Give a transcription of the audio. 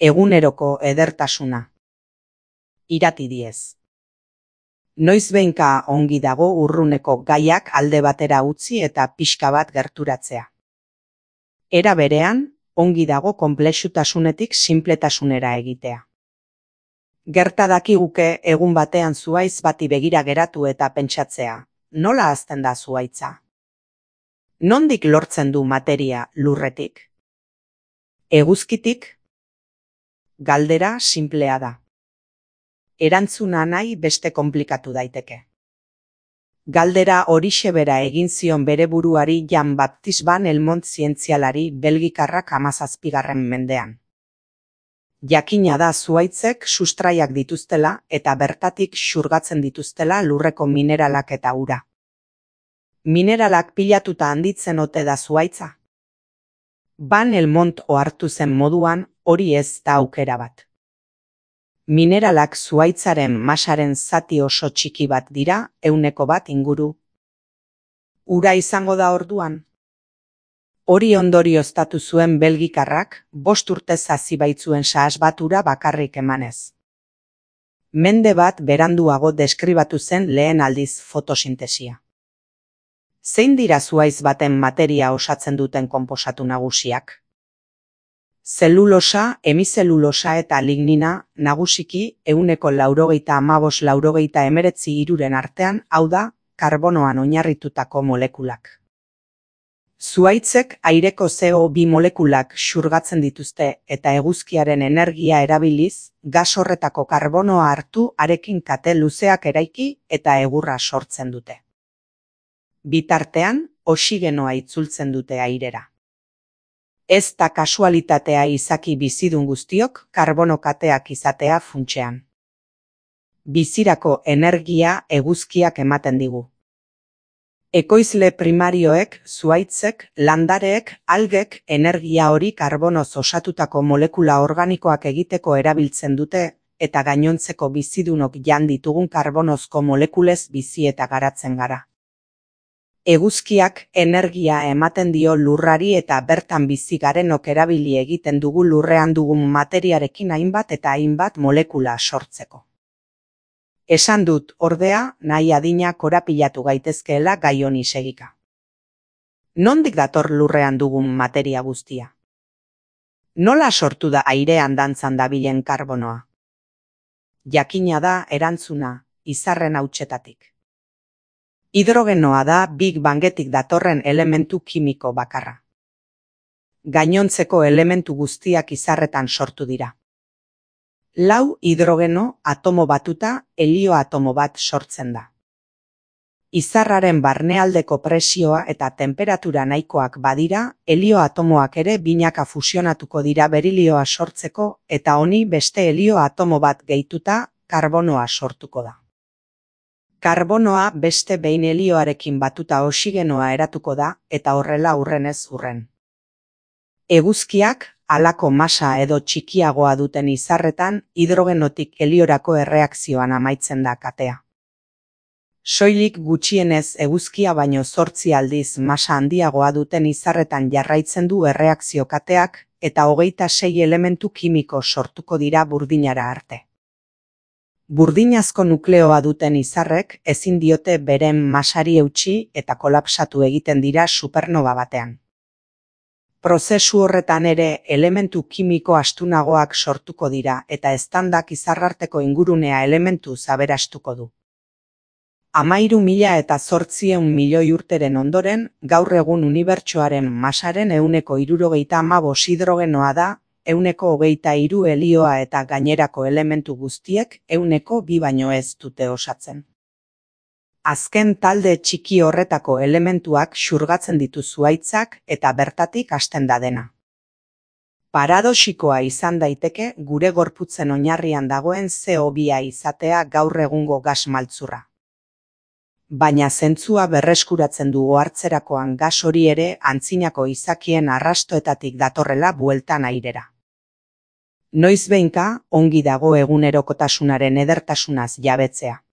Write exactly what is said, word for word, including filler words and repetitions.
Eguneroko edertasuna. Irati diez. Noizbehinka ongi dago urruneko gaiak alde batera utzi eta pixka bat gerturatzea. Era berean, ongi dago konplexutasunetik sinpletasunera egitea. Gerta dakiguke egun batean zuhaitz bati begira geratu eta pentsatzea, nola hazten da zuhaitza? Nondik lortzen du materia lurretik? Eguzkitik? Galdera sinplea da. Erantzuna nahi beste konplikatu daiteke. Galdera horixe bera egin zion bere buruari Jean-Baptiste Van Helmont zientzialari belgikarrak hamazazpigarren mendean. Jakina da zuhaitzek sustraiak dituztela eta bertatik xurgatzen dituztela lurreko mineralak eta ura. Mineralak pilatuta handitzen ote da zuhaitza? Van Helmont ohartu zen moduan hori ez da aukera bat. Mineralak zuhaitzaren masaren zati oso txiki bat dira, ehuneko bat inguru. Ura izango da orduan? Hori ondorioztatu zuen belgikarrak, bost urtez hasi baitzuen sahas bat ura bakarrik emanez. Mende bat beranduago deskribatu zen lehen aldiz fotosintesia. Zein dira zuhaitz baten materia osatzen duten konposatu nagusiak? Zelulosa, hemizelulosa eta lignina nagusiki ehuneko laurogeita hamabost laurogeita hemeretzi hiruren artean, hau da, karbonoan oinarritutako molekulak. Zuhaitzek aireko C O bi molekulak xurgatzen dituzte eta eguzkiaren energia erabiliz, gas horretako karbonoa hartu arekin kate luzeak eraiki eta egurra sortzen dute. Bitartean, oxigenoa itzultzen dute airera. Ez da kasualitatea izaki bizidun guztiok karbono kateak izatea funtsean. Bizirako energia eguzkiak ematen digu. Ekoizle primarioek, zuhaitzek, landareek, algek energia hori karbonoz osatutako molekula organikoak egiteko erabiltzen dute eta gainontzeko bizidunok jan ditugun karbonozko molekulez bizi eta garatzen gara. Eguzkiak energia ematen dio lurrari eta bertan bizi garenok erabili egiten dugu lurrean dugun materiarekin hainbat eta hainbat molekula sortzeko. Esan dut, ordea, nahi adina korapilatu gaitezkeela gai honi segika. Nondik dator lurrean dugun materia guztia? Nola sortu da airean dantzan dabilen karbonoa? Jakina da erantzuna, izarren hautsetatik. Hidrogenoa da Big Bangetik datorren elementu kimiko bakarra. Gainontzeko elementu guztiak izarretan sortu dira. Lau hidrogeno atomo batuta helio atomo bat sortzen da. Izarraren barnealdeko presioa eta tenperatura nahikoak badira, helio atomoak ere binaka fusionatuko dira berilioa sortzeko eta honi beste helio atomo bat gehituta karbonoa sortuko da. Karbonoa beste behin helioarekin batuta oxigenoa eratuko da eta horrela hurrenez hurren. Eguzkiak, halako masa edo txikiagoa duten izarretan, hidrogenotik heliorako erreakzioan amaitzen da katea. Soilik gutxienez eguzkia baino zortzi aldiz masa handiagoa duten izarretan jarraitzen du erreakzio kateak eta hogeita sei elementu kimiko sortuko dira burdinara arte. Burdinazko nukleoa duten izarrek ezin diote beren masari eutsi eta kolapsatu egiten dira supernova batean. Prozesu horretan ere elementu kimiko astunagoak sortuko dira eta eztandak izarrarteko ingurunea elementu aberastuko du. Hamairu mila eta zortziehun milioi urteren ondoren, gaur egun unibertsoaren masaren ehuneko hirurogeita hamabost hidrogenoa da, ehuneko hogeita hiru helioa eta gainerako elementu guztiek ehuneko bi baino ez dute osatzen. Azken talde txiki horretako elementuak xurgatzen ditu zuhaitzak eta bertatik hasten da dena. Paradoxikoa izan daiteke gure gorputzen oinarrian dagoen C O bi izatea gaur egungo gas maltzurra. Baina zentzua berreskuratzen du ohartzerakoan gas hori ere antzinako izakien arrastoetatik datorrela bueltan airera. Noizbehinka ongi dago egunerokotasunaren edertasunaz jabetzea.